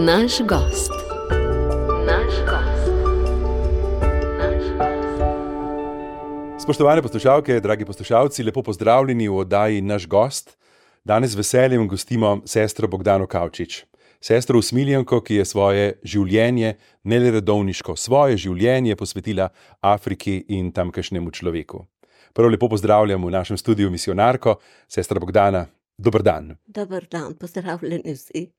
Naš gost. Spoštovane poslušalke, dragi poslušalci, lepo pozdravljeni v oddaji Naš gost. Danes z veseljem gostimo sestro Bogdano Kavčič. Sestro Usmiljenko, ki je svoje življenje, ne le redovniško, svoje življenje posvetila Afriki in tamkajšnjemu človeku. Prvo lepo pozdravljam v našem studiu misionarko, sestra Bogdana. Dober dan. Dober dan, pozdravljeni vsi.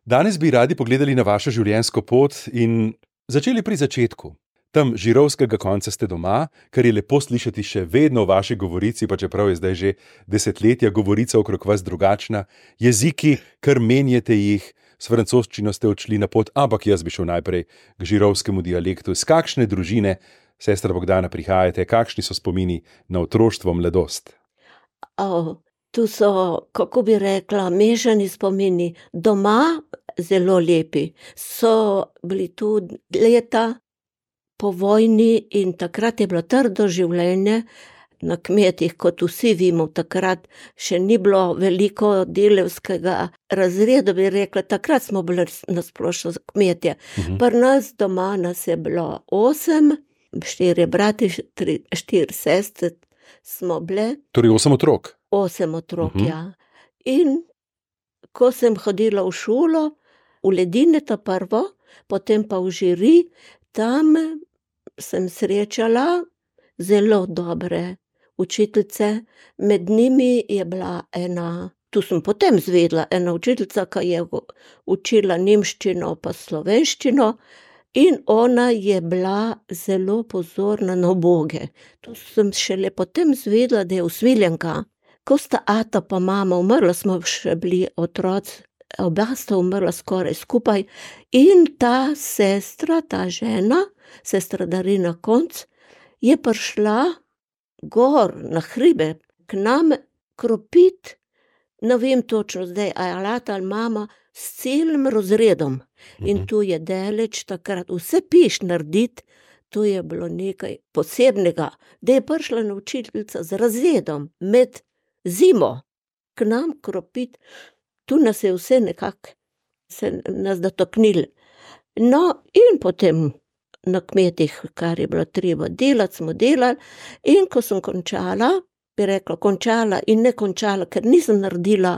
Danes bi radi pogledali na vašo življenjsko pot in začeli pri začetku. Tam žirovskega konca ste doma, kar je lepo slišati še vedno v vaši govorici, pa čeprav je zdaj že desetletja govorica okrog vas drugačna. Jeziki, kar menjate jih, s francoščino ste odšli na pot, ampak jaz bi šel najprej k žirovskemu dialektu. Z kakšne družine, sestra Bogdana, prihajate? Kakšni so spomini na otroštvo, mladost? Tu so, kako bi rekla, mešani spomini. Doma zelo lepi. So bili tu leta po vojni in takrat je bilo trdo življenje na kmetih, kot vsi vemo. Takrat še ni bilo veliko delavskega razreda, bi rekla. Takrat smo bili nasplošno kmetje. Pri nas doma nas je bilo 8, 4 brati, 4 sestre smo bile. Torej 8 otrok? 8 otrok, ja. In ko sem hodila v šolo, v Ledine ta prvo, potem pa v Žiri, tam sem srečala zelo dobre učiteljice. Med njimi je bila ena, tu sem potem zvedela, ena učiteljica, ki je učila nemščino pa slovenščino, in ona je bila zelo pozorna na uboge. Tu sem šele potem zvedela, da je Usmiljenka. Ko sta ata pa mama umrla, smo še bili otroci, oba sta umrla skoraj skupaj, in ta sestra, ta žena, sestra Darina Konc, je prišla gor na hribe k nam kropit, ne vem točno zdaj, ali ata ali mama, s celim razredom. In tu je daleč takrat vse piš narediti, to je bilo nekaj posebnega, da je prišla učiteljica z razredom med zimo k nam kropit. Tu nas je vse nekako se nas dotaknili. No, in potem na kmetih, kar je bilo treba delati, smo delali, in ko sem končala, bi rekla končala in ne končala, ker nisem naredila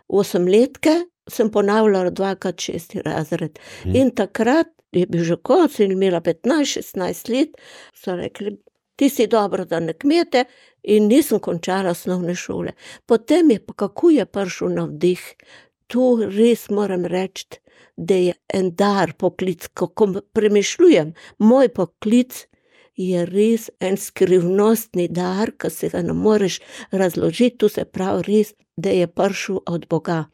8-letke, sem ponavljala 2x 6. razred. In takrat je bil že konec in imela 15-16 let, so rekli, ti si dobro da na kmete, in nisem končala osnovne šole. Potem je pa, kako je prišel navdih, tu res moram reči, da je en dar poklic, kako premišljujem, moj poklic je res en skrivnostni dar, ki se ga ne moreš razložiti, tu se pravi res, da je prišel od Boga.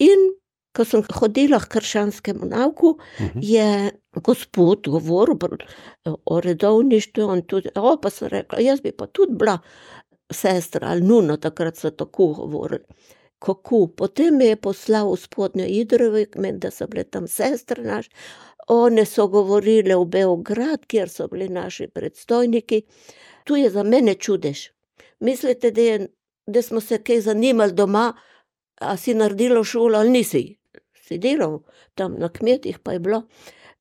In ko sem hodila k krščanskemu nauku, je gospod govoril o redovništvu, in tudi, pa sem rekla, jaz bi pa tudi bila sestra ali nuna, takrat so tako govorili. Kako? Potem me je poslal v Spodnjo Idrovo, da so bile tam sestre naše, one so govorile v Beograd, kjer so bili naši predstojniki. Tu je za mene čudež. Mislite, da smo se kaj zanimali doma, a si naredila šolo ali nisi? Si delal tam na kmetih, pa je bilo.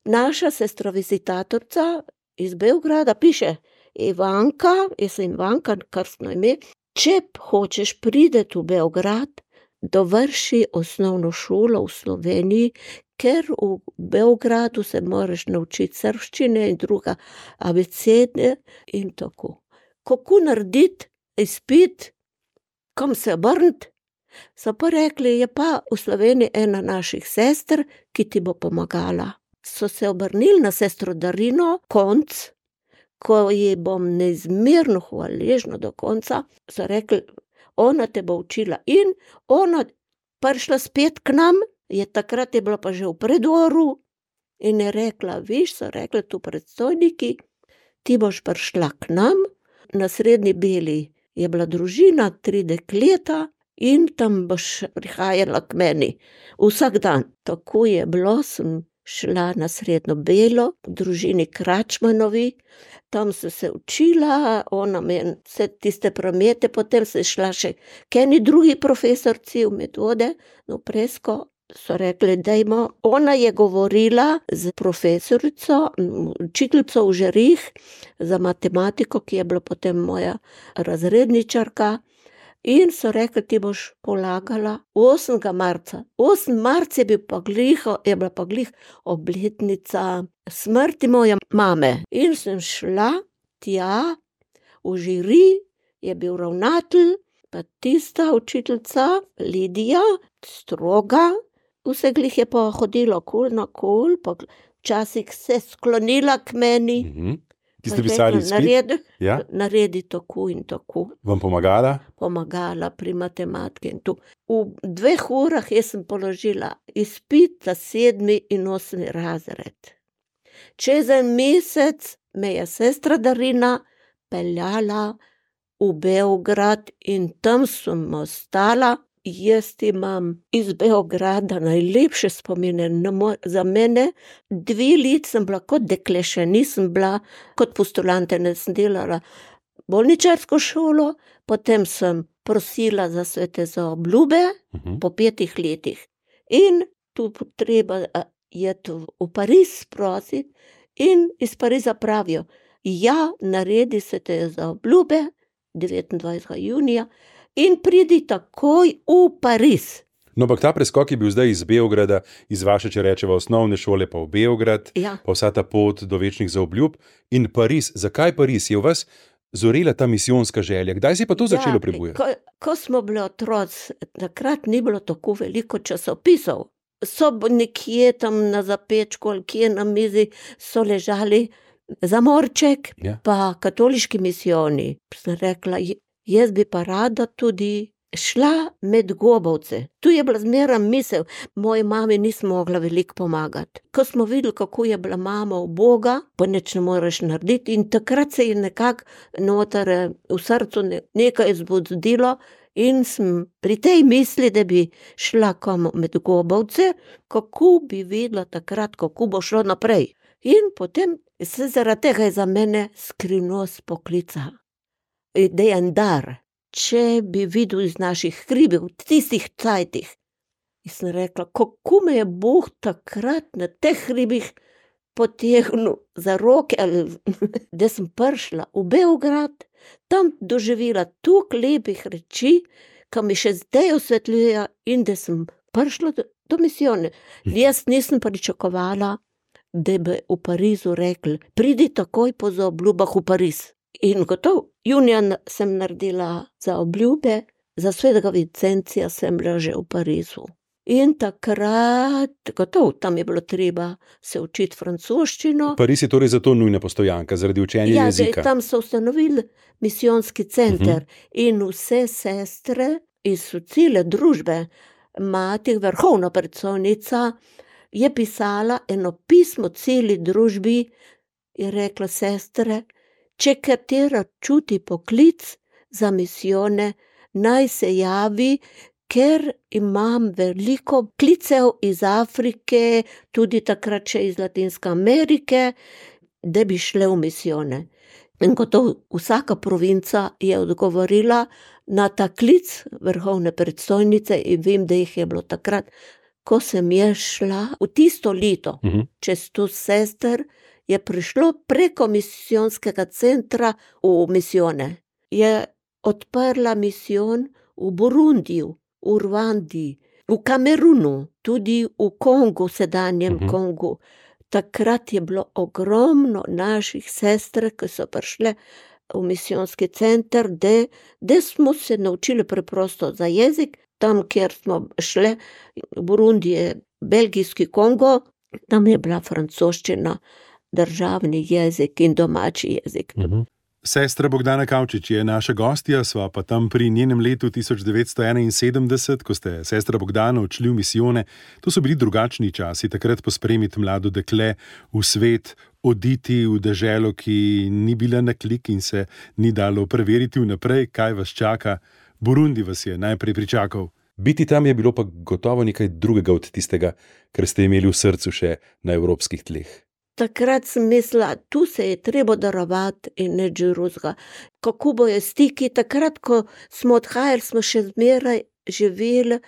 Naša sestra vizitatorica iz Beograda piše, Ivanka, jaz sem Ivanka, krstno ime, če hočeš priti v Beograd, dovrši osnovno šolo v Sloveniji, ker v Beogradu se moraš naučiti srbščine in druga abecede in tako. Kako narediti izpit, kam se obrniti? So pa rekli, je pa v Sloveniji ena naših sester, ki ti bo pomagala. So se obrnili na sestro Darino Konc, ko ji bom neizmerno hvaležna do konca, so rekli, ona te bo učila, in ona prišla spet k nam, takrat je bila pa že v predoru, in je rekla, viš, so rekli tu predstojniki, ti boš prišla k nam, na Srednji Beli je bila družina, 3 dekleta, in tam boš prihajala k meni vsak dan. Tako je bilo, sem šla na Srednjo Belo, v družini Kračmanovi, tam sem se učila, ona me vse tiste promete, potem sem šla še k eni drugi profesorci v Medvode, v Presko, so rekli, dajmo, ona je govorila z profesorico, učiteljico v Žerih za matematiko, ki je bila potem moja razredničarka, in so rekli, ti boš polagala 8. marca. 8. marca je bila pa glih obletnica smrti moje mame. In sem šla tja, v Žiri je bil ravnatelj, pa tista učiteljica, Lidija, stroga, vse glih je pa hodila okoli nakol, pa včasih se sklonila k meni. Ti ste pisali izpit? Naredi tako in tako. Vam pomagala? Pomagala pri matematiki in tu. V 2 urah jaz sem položila izpit za 7. in 8. razred. Čez en mesec me je sestra Darina peljala v Beograd in tam sem ostala. Jaz imam iz Beograda najlepše spomine. Za mene 2 leta sem bila kot dekle, še nisem bila kot postulantka, sem delala bolničarsko šolo, potem sem prosila za svete zaobljube po 5 letih. In tu treba iti v Pariz prositi in iz Pariza pravijo, ja, naredi svete zaobljube 29. junija, in pridi takoj v Pariz. No, ampak ta preskok je bil zdaj iz Beograda, iz vaše, če rečeva, osnovne šole pa v Beograd, pa vsa ta pot do večnih zaobljub in Pariz. Zakaj Pariz? Je v vas zorela ta misijonska želja? Kdaj si pa to začelo prebujati? Ko smo bili otroci, takrat ni bilo tako veliko časopisov. So nekje tam na zapečku ali kje na mizi so ležali Zamorček, pa katoliški misijoni. Sem rekla, jaz bi pa rada tudi šla med gobovce. Tu je bila zmeraj misel, moji mami nismo mogla veliko pomagati. Ko smo videli, kako je bila mama uboga, pa nič ne moreš narediti, in takrat se je nekako noter v srcu nekaj zbudilo in sem pri tej misli, da bi šla kam med gobovce, kako bi videla takrat, kako bo šlo naprej. In potem se zaradi tega je za mene skrivnost poklica. Da je en dar, če bi videl iz naših hribov, tistih cajtih. In sem rekla, kako me je Bog takrat na teh hribih potegnil za roke, da sem prišla v Beograd, tam doživela toliko lepih reči, ki mi še zdaj osvetljujejo, in da sem prišla do misijone. Jaz nisem pričakovala, da bi v Parizu rekli, pridi takoj po zaobljubah v Pariz. In gotov, junija sem naredila zaobljube, za svetega Vincencija sem bila že v Parizu. In takrat, gotov, tam je bilo treba se učiti francoščino. Pariz je torej zato nujna postojanka, zaradi učenja jezika. Ja, tam so ustanovili misijonski center in vse sestre iz cele družbe, mati, vrhovna predstojnica, je pisala eno pismo celi družbi in rekla, sestre, če katera čuti poklic za misijone, naj se javi, ker imam veliko klicev iz Afrike, tudi takrat še iz Latinske Amerike, da bi šle v misijone. In gotovo vsaka provinca je odgovorila na ta klic vrhovne predstojnice in vem, da jih je bilo takrat, ko sem je šla v tisto leto, čez 100 sester, je prišlo preko misijonskega centra v misijone. Je odprla misijon v Burundiju, v Rwandi, v Kamerunu, tudi v Kongu, sedanjem Kongu. Takrat je bilo ogromno naših sester, ki so prišle v misijonski center, da smo se naučili preprosto za jezik. Tam, kjer smo šle, v Burundi je belgijski Kongo, tam je bila francoščina državni jezik in domači jezik. Sestra Bogdana Kavčič je naša gostja, sva pa tam pri njenem letu 1971, ko ste sestra Bogdana odšli v misijone. To so bili drugačni časi, takrat pospremiti mlado dekle v svet, oditi v deželo, ki ni bila na klik in se ni dalo preveriti vnaprej, kaj vas čaka. Burundi vas je najprej pričakal. Biti tam je bilo pa gotovo nekaj drugega od tistega, kar ste imeli v srcu še na evropskih tleh. Takrat sem mislila, tu se je treba darovati in nič drugega. Kako bojo stiki, takrat, ko smo odhajali, smo še zmeraj živeli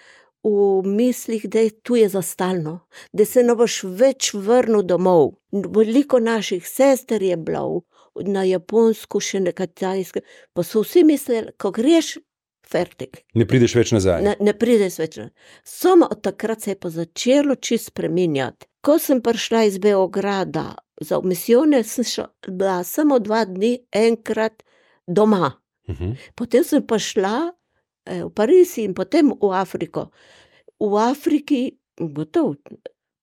v mislih, da je tu je za stalno, da se ne boš več vrnil domov. Veliko naših sester je bilo na Japonsko, še na Kitajsko, pa so vsi mislili, ko greš, fertik. Ne prideš več nazaj. Ne prideš več nazaj. Samo od takrat se je pa začelo čisto spreminjati. Ko sem prišla iz Beograda za misijone, sem bila samo 2 dni enkrat doma. Potem sem pa šla v Pariz in potem v Afriko. V Afriki, gotovo,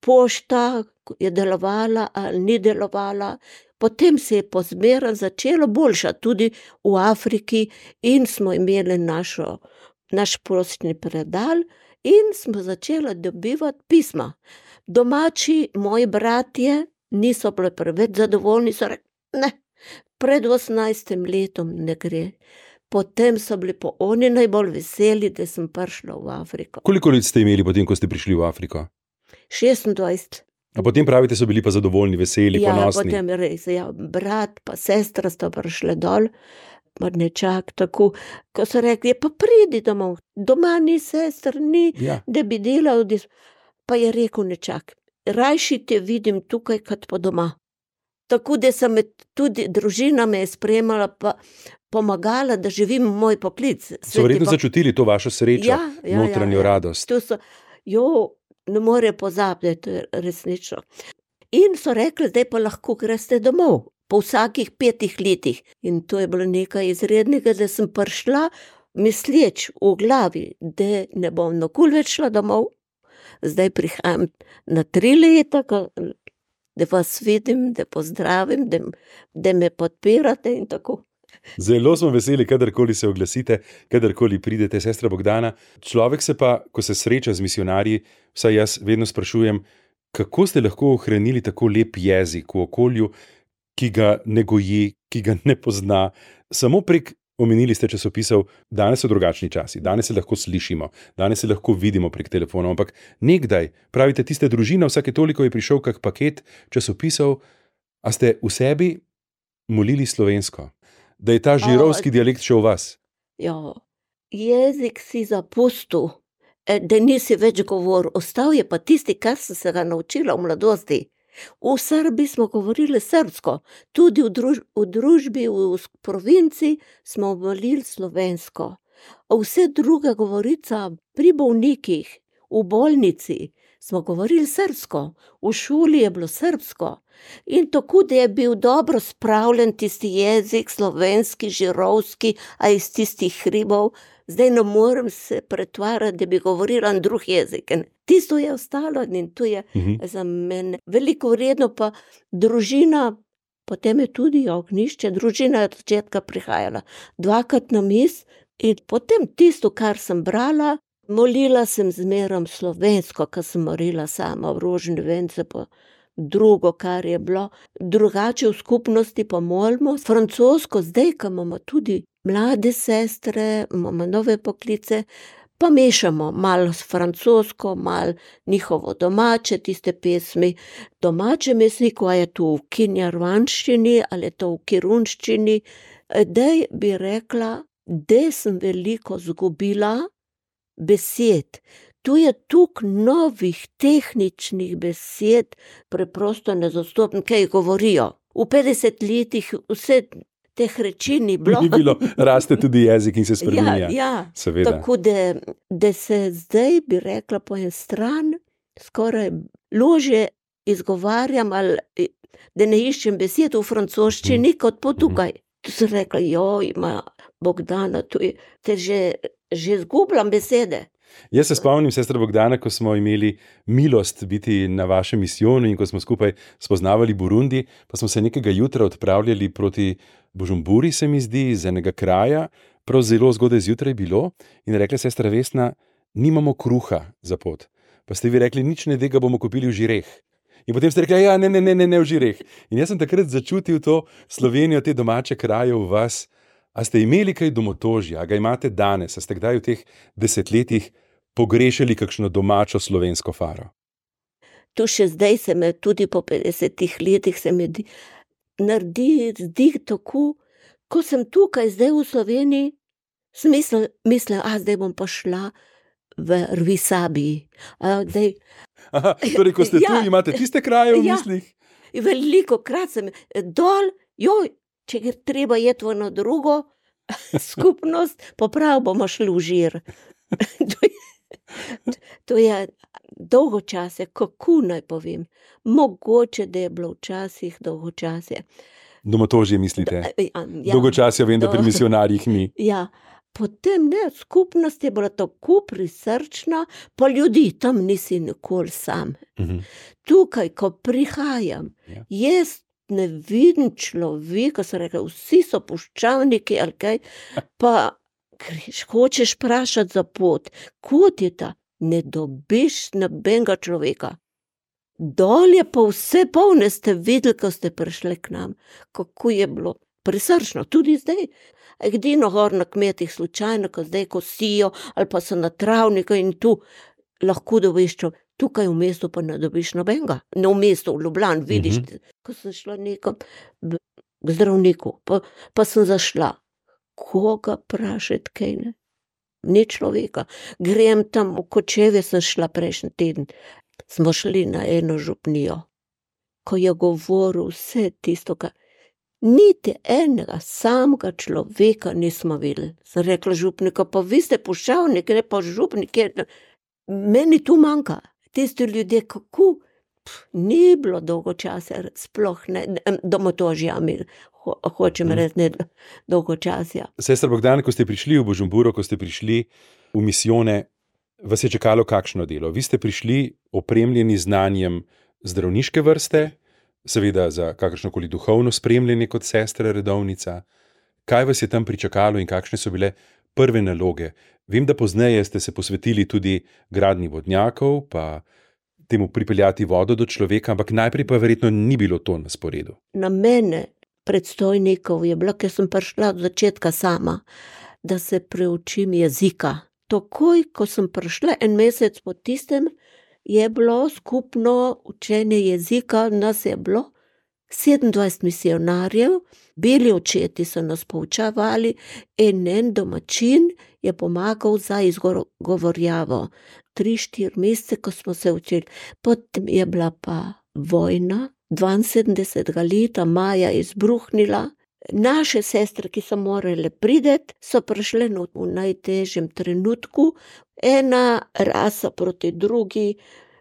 pošta je delovala ali ni delovala, potem se je pozmerno začelo boljšati tudi v Afriki in smo imeli naš poštni predal in smo začeli dobivati pisma. Domači, moji bratje, niso bili preveč zadovoljni, so rekli, ne, pred 18 letom ne gre. Potem so bili pa oni najbolj veseli, da sem prišla v Afriko. Koliko let ste imeli potem, ko ste prišli v Afriko? 26. A potem pravite, so bili pa zadovoljni, veseli, ponosni. Ja, potem res, brat pa sestra sta prišli dol, nečak tako, ko so rekli, pa pridi domov, doma ni sester, ni, da bi delal, pa je rekel nečak, rajši te vidim tukaj, kot pa doma. Tako da sem tudi družina me je spremala, pa pomagala, da živim moj poklic. So verjetno začutili to vašo srečo, notranjo radost. To so, ne more pozabiti, to je resnično. In so rekli, zdaj pa lahko greste domov, po vsakih 5 letih. In to je bilo nekaj izrednega, da sem prišla, misleč v glavi, da ne bom nikoli več šla domov. Zdaj prihajam na 3 leta, da vas vidim, da pozdravim, da me podpirate in tako. Zelo smo veseli, kadarkoli se oglasite, kadarkoli pridete, sestra Bogdana. Človek se pa, ko se sreča z misionarji, vsaj jaz vedno sprašujem, kako ste lahko ohranili tako lep jezik v okolju, ki ga ne goji, ki ga ne pozna. Samo prek, omenili ste časopisov, danes so drugačni časi, danes se lahko slišimo, danes se lahko vidimo prek telefonov, ampak nekdaj, pravite, tiste družine, vsake toliko je prišel kak paket časopisov, a ste v sebi molili slovensko? Da je ta žirovski dialekt še v vas? Ja, jezik si zapustil, da nisi več govoril. Ostal je pa tisti, kar sem se ga naučila v mladosti. V Srbiji smo govorili srbsko, tudi v družbi, v provinci smo govorili slovensko. Vse druga govorica pri bolnikih, v bolnici smo govorili srbsko, v šoli je bilo srbsko. In tako, da je bil dobro spravljen tisti jezik, slovenski, žirovski, a iz tistih hribov, zdaj ne morem se pretvarjati, da bi govorila drug jezik. Tisto je ostalo in to je za mene veliko vredno, pa družina, potem je tudi ognjišče, družina je od začetka prihajala 2-krat na mis in potem tisto, kar sem brala, molila sem zmerom slovensko, ko sem morila sama v rožne vence, pa drugo, kar je bilo, drugače v skupnosti pa molimo, francosko, zdaj, ko imamo tudi mlade sestre, imamo nove poklice, pa mešamo malo s francosko, malo njihovo domače, tiste pesmi, domače mesniku, a je to v kinjarvanščini, ali je to v kirunščini, dej bi rekla, da sem veliko zgubila besed. Tu je toliko novih tehničnih besed, preprosto nezastopnih, kaj govorijo. V 50 letih vse teh reči ni bilo. Ni bilo, raste tudi jezik in se spreminja. Ja, seveda. Tako da se zdaj, bi rekla, po en stran, skoraj lože izgovarjam, ali da ne iščem besed v francoščini, kot po tukaj. Tu sem rekla, ima Bogdana, te že zgubljam besede. Jaz se spomnim, sestra Bogdana, ko smo imeli milost biti na vašem misijonu in ko smo skupaj spoznavali Burundi, pa smo se nekega jutra odpravljali proti Bujumburi, se mi zdi, iz enega kraja, prav zelo zgodaj zjutraj bilo, in rekla sestra Vesna, nimamo kruha za pot. Pa ste vi rekli, nič ne de, ga bomo kupili v Žireh. In potem ste rekli, ne v Žireh. In jaz sem takrat začutil to Slovenijo, te domače kraje v vas. A ste imeli kaj domotožja, a ga imate danes, a ste kdaj v teh 10 letih pogrešali kakšno domačo slovensko faro? Tu še zdaj se me, tudi po 50 letih se mi zdi tako, ko sem tukaj zdaj v Sloveniji, sem mislila, zdaj bom pa šla v Rvisabi. Aha, torej, ko ste tu, imate tiste kraje v mislih? Veliko krat sem dol, če je treba jeti v eno drugo skupnost, poprav bomo šli v Žir. To je dolgočasje, kako naj povem. Mogoče, da je bilo včasih dolgočasje. Domotožje mislite? Dolgočasje vem, da pri misionarjih ni. Ja, potem skupnost je bila tako prisrčna, pa ljudi, tam nisi nikoli sam. Tukaj, ko prihajam, jaz ne vidim človeka, so rekli, vsi so puščavniki ali kaj, pa hočeš vprašati za pot, kot je ta, ne dobiš nobenega človeka. Dol je pa vse polne, ste videli, ko ste prišli k nam, kako je bilo prisrčno, tudi zdaj. Edino gor na kmetih slučajno, ko zdaj kosijo, ali pa so na travniku in tu lahko dobiš tukaj v mestu pa ne dobiš nobenega. Ne v mestu, v Ljubljani, vidiš, ko sem šla nekam k zdravniku, pa sem zašla. Koga vprašati, kaj ne? Ni človeka. Grem tam v Kočevje, sem šla prejšnji teden. Smo šli na eno župnijo, ko je govoril vse tisto, kar niti enega samega človeka nismo videli. Sem rekla župnika, pa vi ste puščavnik, ne pa župnik. Meni tu manjka. Tisti ljudje, kako ni bilo dolgo časa, sploh ne, domotožja mi, hočem reči, ne dolgo časa. Sestra Bogdana, ko ste prišli v Bujumburo, ko ste prišli v misijone, vas je čakalo kakšno delo? Vi ste prišli opremljeni znanjem zdravniške vrste, seveda za kakršnokoli duhovno spremljanje kot sestra redovnica. Kaj vas je tam pričakalo in kakšne so bile prve naloge? Vem, da pozneje ste se posvetili tudi gradnji vodnjakov, pa temu pripeljati vodo do človeka, ampak najprej pa verjetno ni bilo to na sporedu. Na mene, predstojnikov, je bilo, ker sem prišla od začetka sama, da se preučim jezika. Takoj, ko sem prišla en mesec po tistem, je bilo skupno učenje jezika, nas je bilo 27 misionarjev, beli očeti so nas poučavali, en domačin je pomagal za izgovorjavo. 3-4 mesece, ko smo se učili. Potem je bila pa vojna, 72. leta maja izbruhnila. Naše sestre, ki so morale priti, so prišle v najtežjem trenutku. Ena rasa proti drugi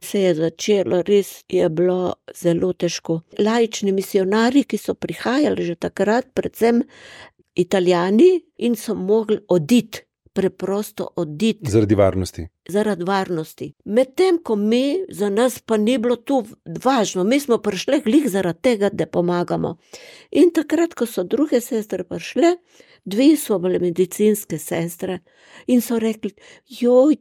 se je začelo, res je bilo zelo težko. Laični misionarji, ki so prihajali že takrat, predvsem Italijani, in so mogli oditi, preprosto oditi. Zaradi varnosti. Zaradi varnosti. Medtem, ko mi, za nas pa ni bilo tu važno, mi smo prišli glih zaradi tega, da pomagamo. In takrat, ko so druge sestre prišle, 2 so bile medicinske sestre in so rekli,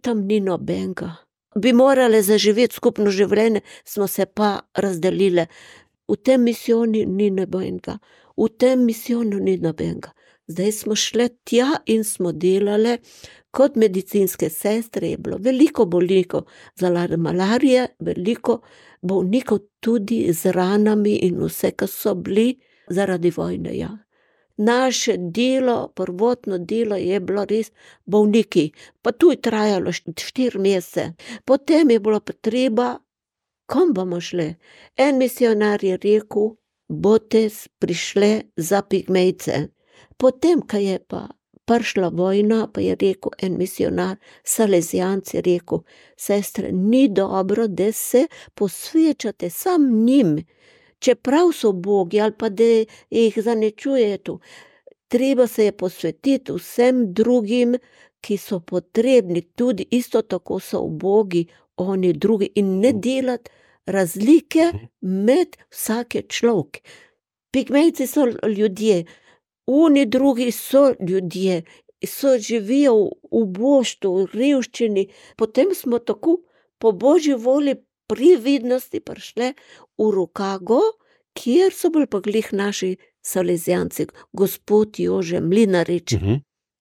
tam ni nobenega. Bi morale zaživeti skupno življenje, smo se pa razdelile. V tem misijonu ni nobenega, v tem misijonu ni nobenega. Zdaj smo šle tja in smo delale kot medicinske sestre, je bilo veliko bolnikov zaradi malarije, veliko bolnikov tudi z ranami in vse, ki so bili zaradi vojne. Ja. Naše delo, prvotno delo je bilo res bolniki, pa tu je trajalo 4 mesece. Potem je bilo potreba, kom bomo šli? En misionar je rekel, boste prišle za Pigmejce. Potem, ko je pa prišla vojna, pa je rekel en misionar, Salezijanc je rekel, sestre, ni dobro, da se posvečate sam njim, čeprav so bogi ali pa da jih zanečujete. Treba se je posvetiti vsem drugim, ki so potrebni, tudi isto tako so ubogi oni drugi in ne delati razlike med vsake človek. Pigmejci so ljudje, oni drugi so ljudje, živijo v boštvu, v revščini. Potem smo tako po Božji volji prividnosti prišli v Rokago, kjer so bili pa glih naši Salezijanci, gospod Jože Mlinarič.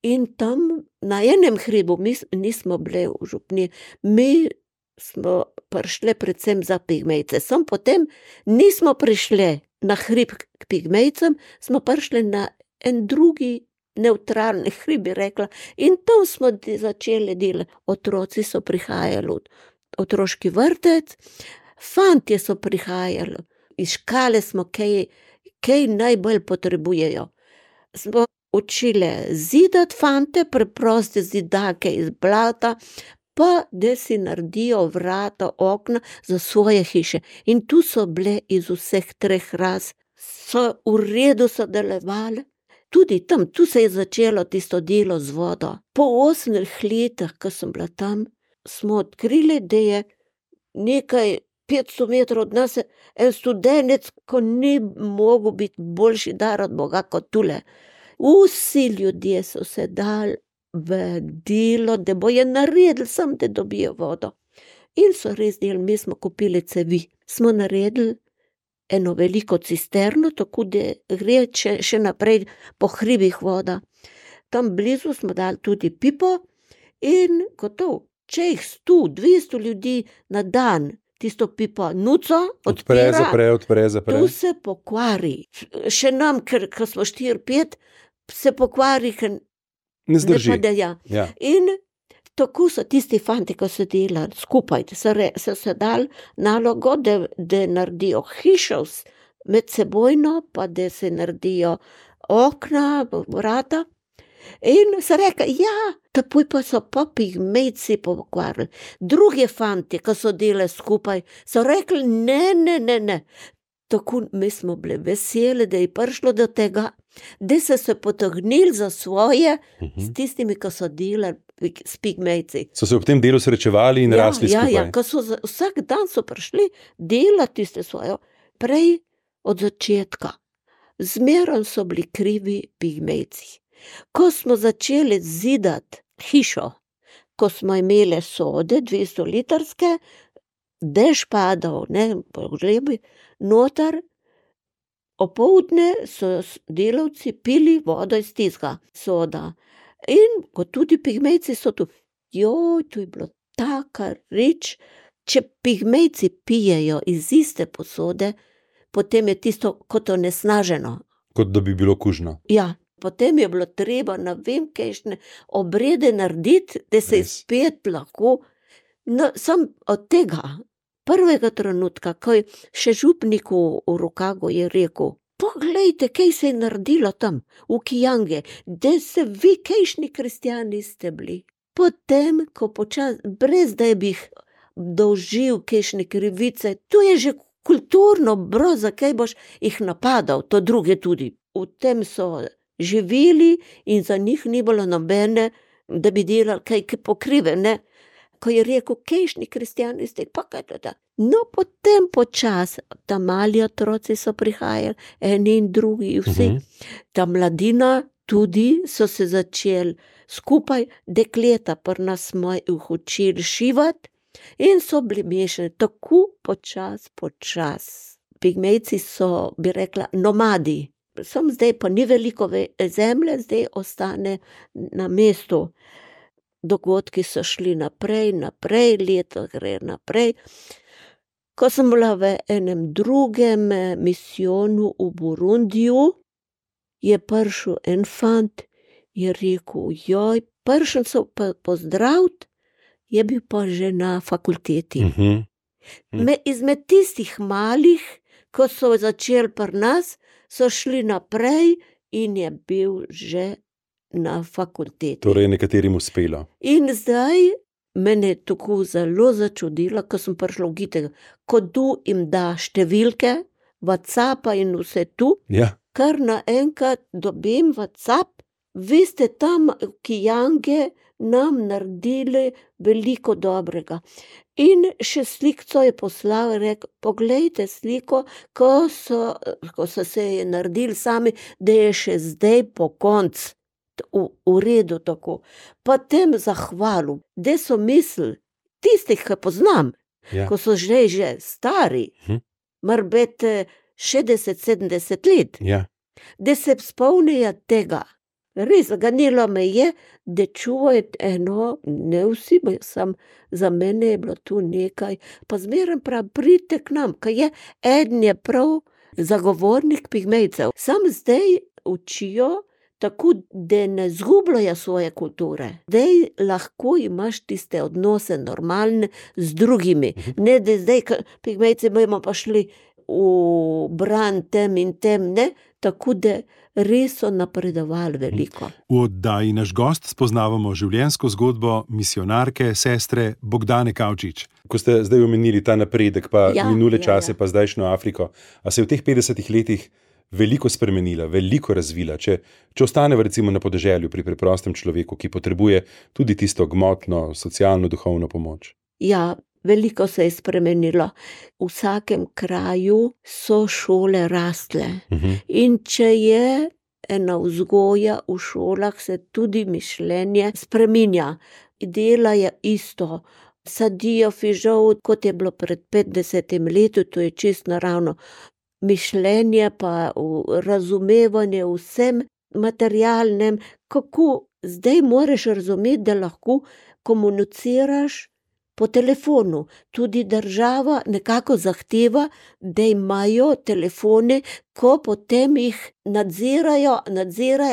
In tam na enem hribu, mi nismo bili v župni, mi smo prišli predvsem za Pigmejce. Sam potem nismo prišli na hrib k Pigmejcem, smo prišli na en drugi nevtralni hribi, rekla. In tam smo začeli delati. Otroci so prihajali v otroški vrtec, fantje so prihajali, iskali smo, kaj najbolj potrebujejo. Smo učili zidati fante, preproste zidake iz blata, pa da si naredijo vrata, okna za svoje hiše. In tu so bile iz vseh 3 ras, so v redu sodelovali. Tudi tam, tu se je začelo tisto delo z vodo. Po 8 letih, ko sem bila tam, smo odkrili, da je nekaj 500 metrov od nas en studenec, ko ni mogel biti boljši dar od Boga kot tule. Vsi ljudje so se dali v delo, da bojo naredili sam, da dobijo vodo. In so res delali, mi smo kupili cevi. Smo naredili eno veliko cisterno, tako da gre še naprej po hribih voda. Tam blizu smo dali tudi pipo in gotov. Če jih 100, 200 ljudi na dan tisto pipo nuco odpira, Odpre, zapre. tu se pokvari. Še nam, ker smo 4-5, se pokvari, ker Ne zdrži. ne padeja. Ja. In tako so tisti fanti, ko so delali skupaj, so se dali nalogo, da naredijo hišo med sebojno, pa da se naredijo okna, vrata. In so rekli, ja, takoj pa so pigmejci pokvarili. Drugi fanti, ko so delali skupaj, so rekli, ne. Tako mi smo bili veseli, da je prišlo do tega, da so se potegnili za svoje s tistimi, ko so delali s pigmejci. So se ob tem delu srečevali in rasli skupaj. Ja, ko so vsak dan so prišli delati tiste svoje. Prej od začetka. Zmeraj so bili krivi pigmejci. Ko smo začeli zidati hišo, ko smo imeli sode, 200-litrske, dež padal, po žlebi, noter, opoldne so delavci pili vodo iz tistega soda. In ko tudi pigmejci so tu, to je bilo taka reč, če pigmejci pijejo iz iste posode, potem je tisto kot onesnaženo. Kot da bi bilo kužno. Ja, potem je bilo treba, ne vem, kakšne obrede narediti, da se je Res. spet lahko. No, sam od tega prvega trenutka, ko je še župniku v Rokagu je rekel, poglejte, kaj se je naredilo tam, v Kijange, da se vi, kakšni kristjani ste bili. Potem, ko brez da bi jih dolžil kakšne krivice, to je že kulturno, zakaj boš jih napadal, to druge tudi. V tem so živeli in za njih ni bilo nobene, da bi delali kaj pokrive, ne. Ko je rekel, kakšni kristjani ste, pa kaj to. No, potem počas, ta mali otroci so prihajali, eni in drugi, vsi. Ta mladina tudi so se začeli skupaj, dekleta pri nas smo jih učili šivati in so bili mešani tako počas. Pigmejci so, bi rekla, nomadi. Sam zdaj pa ni veliko zemlje, zdaj ostane na mestu. Dogodki so šli naprej, leto gre naprej. Ko sem bila v enem drugem misijonu v Burundiju, je prišel en fant, je rekel, prišel sem pozdraviti, je bil pa že na fakulteti. Izmed tistih malih, ko so začeli pri nas, so šli naprej in je bil že na fakulteti. Torej je nekaterim uspelo. In zdaj mene je tako zelo začudilo, ko sem prišla v Gitega, ko tu jim da številke, WhatsAppa in vse tu, Ja. kar naenkrat dobim WhatsApp, vi ste tam v Kijange nam naredili veliko dobrega. In še slikco je poslal, rekel, poglejte sliko, ko so se je naredili sami, da je še zdaj po koncu. V redu tako. Potem zahvalil, da so mislili, tistih, ki poznam, Ja. ko so že stari, morbiti 60-70 let, Ja. da se spomnijo tega. Res, ganilo me je, da čuvajo eno, ne vsi, sam za mene je bilo tu nekaj, pa zmeraj prav pridite k nam, ker je eden je prav zagovornik pigmejcev. Sam zdaj učijo tako da ne zgubljajo svoje kulture. Zdaj lahko imaš tiste odnose normalne z drugimi. Ne, da zdaj, pigmejci bomo pa šli v bran tem in tem, ne, tako da res so napredovali veliko. V oddaji Naš gost spoznavamo življenjsko zgodbo misijonarke, sestre Bogdane Kavčič. Ko ste zdaj omenili ta napredek, pa minule čase, pa zdajšnjo Afriko, a se je v teh 50 letih veliko spremenila, veliko razvila, če ostaneva recimo na podeželju pri preprostem človeku, ki potrebuje tudi tisto gmotno, socialno, duhovno pomoč? Ja, veliko se je spremenilo. V vsakem kraju so šole rastle. In če je ena vzgoja v šolah, se tudi mišljenje spreminja. Dela je isto. Sadijo fižol, kot je bilo pred 50 leti, to je čisto naravno. Mišljenje pa razumevanje vsem materialnem, kako zdaj moraš razumeti, da lahko komuniciraš po telefonu. Tudi država nekako zahteva, da imajo telefone, ko potem jih nadzirajo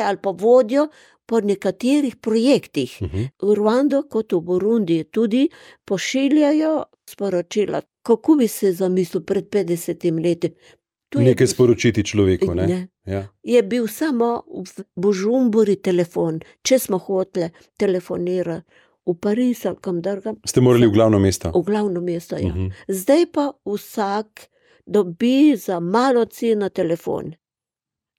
ali pa vodijo po nekaterih projektih. V Rwando kot v Burundiji tudi pošiljajo sporočila. Kako bi se zamislil pred 50 leti? Nekaj sporočiti človeku, ne? Ja. Je bil samo v Bujumburi telefon, če smo hoteli telefonirati v Pariz ali kam drugam. Ste morali v glavno mesto? V glavno mesto, ja. Zdaj pa vsak dobi za malo ceno telefon.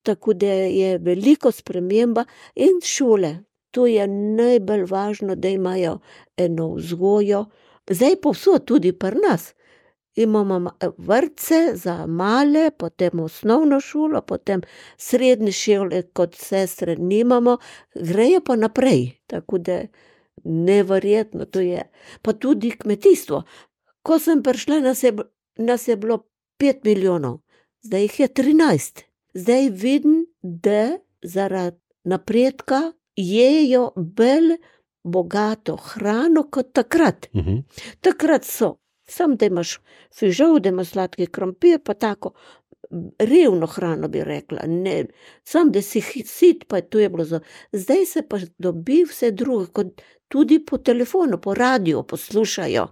Tako da je veliko sprememba in šole. To je najbolj važno, da imajo eno vzgojo. Zdaj povsod tudi pri nas. Imamo vrtce za male, potem osnovno šolo, potem srednje šole kot sestre nimamo, grejo pa naprej. Tako da neverjetno to je. Pa tudi kmetijstvo. Ko sem prišla, nas je bilo 5 milijonov, zdaj jih je 13. Zdaj vidim, da zaradi napredka jejo bolj bogato hrano kot takrat. Takrat so. Sam, da imaš fižol, da imaš sladki krompir, pa tako revno hrano bi rekla. Ne, sam, da si sit, pa to je bilo za. Zdaj se pa dobi vse drugo, kot tudi po telefonu, po radiju poslušajo.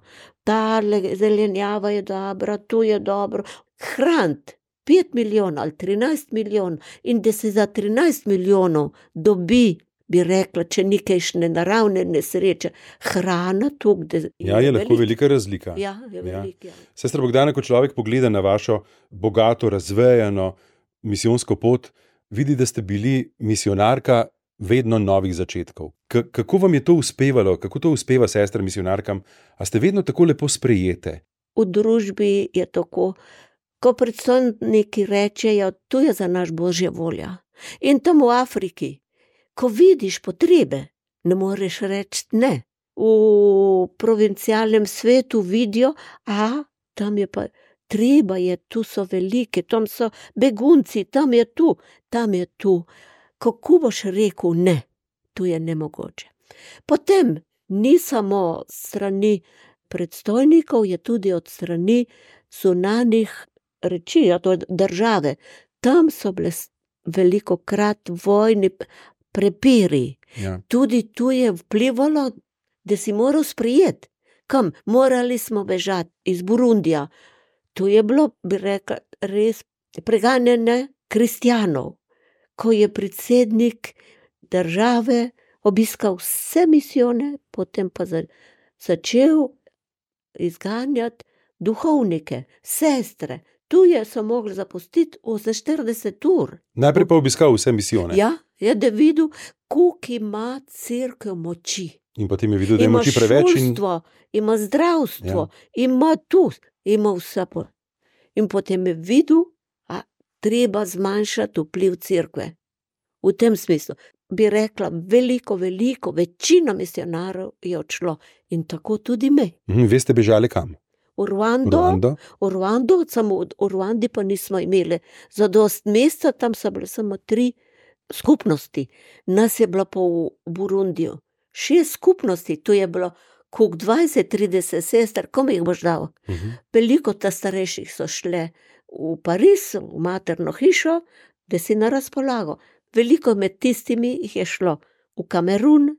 Tale zelenjava je dobra, to je dobro. Hrant 5 milijonov ali 13 milijonov in da se za 13 milijonov dobi, bi rekla, če nekajšne naravne nesreče, hrana tukaj. Ja, je lahko velika razlika. Ja, je velika. Sestra Bogdana, ko človek pogleda na vašo bogato, razvejano misijonsko pot, vidi, da ste bili misijonarka vedno novih začetkov. Kako vam je to uspevalo? Kako to uspeva sestra misijonarkam? A ste vedno tako lepo sprejete? V družbi je tako, ko predstojniki rečejo, to je za naš Božja volja. In tam v Afriki, ko vidiš potrebe, ne moreš reči ne. V provincialnem svetu vidijo, tam je pa treba, tu so velike, tam so begunci, tam je tu. Kako boš rekel ne? To je nemogoče. Potem ni samo strani predstojnikov, je tudi od strani zunanjih reči, to je države. Tam so bile velikokrat vojni prepiri. Ja. Tudi tu je vplivalo, da si moral sprejeti. Kam? Morali smo bežati iz Burundija. Tu je bilo, bi rekla, res preganjanje kristjanov. Ko je predsednik države obiskal vse misijone, potem pa začel izganjati duhovnike, sestre. Tu so mogli zapustiti 48 ur. Najprej pa obiskal vse misijone. Ja, je da videl, koliko ima cerkev moči. In potem je videl, da je moči preveč. Ima šolstvo, ima zdravstvo, ima tu, ima vse. In potem je videl, treba zmanjšati vpliv cerkve. V tem smislu bi rekla, veliko, večina misionarjev je odšlo. In tako tudi me. Vi ste bežali kam? V Rwando, samo v Rwandi pa nismo imeli zadost mesta, tam so bile samo 3 skupnosti. Nas je bilo pa v Burundiju 6 skupnosti, tu je bilo koliko 20-30 sester, kom jih boš dal? Veliko ta starejših so šle v Pariz, v materno hišo, da si na razpolago. veliko med tistimi jih je šlo v Kamerun,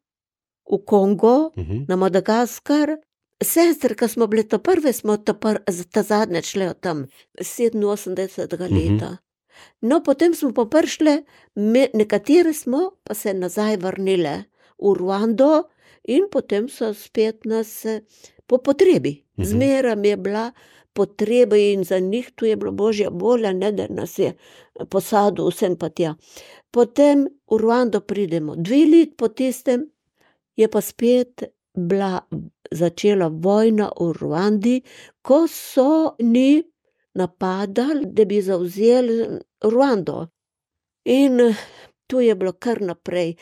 v Kongo, na Madagaskar. Sestre, ko smo bile to prve, smo ta zadnje šle od tam 87. leta. No, potem smo pa prišle, nekatere smo pa se nazaj vrnile v Ruando in potem so spet nas po potrebi. Zmeraj je bila potreba in za njih tu je bilo božja volja, ne da nas je posadil vsem pa tja. Potem v Ruando pridemo 2 let po tistem, je pa spet začela vojna v Ruandi, ko so ni napadali, da bi zavzeli Ruando. In tu je bilo kar naprej,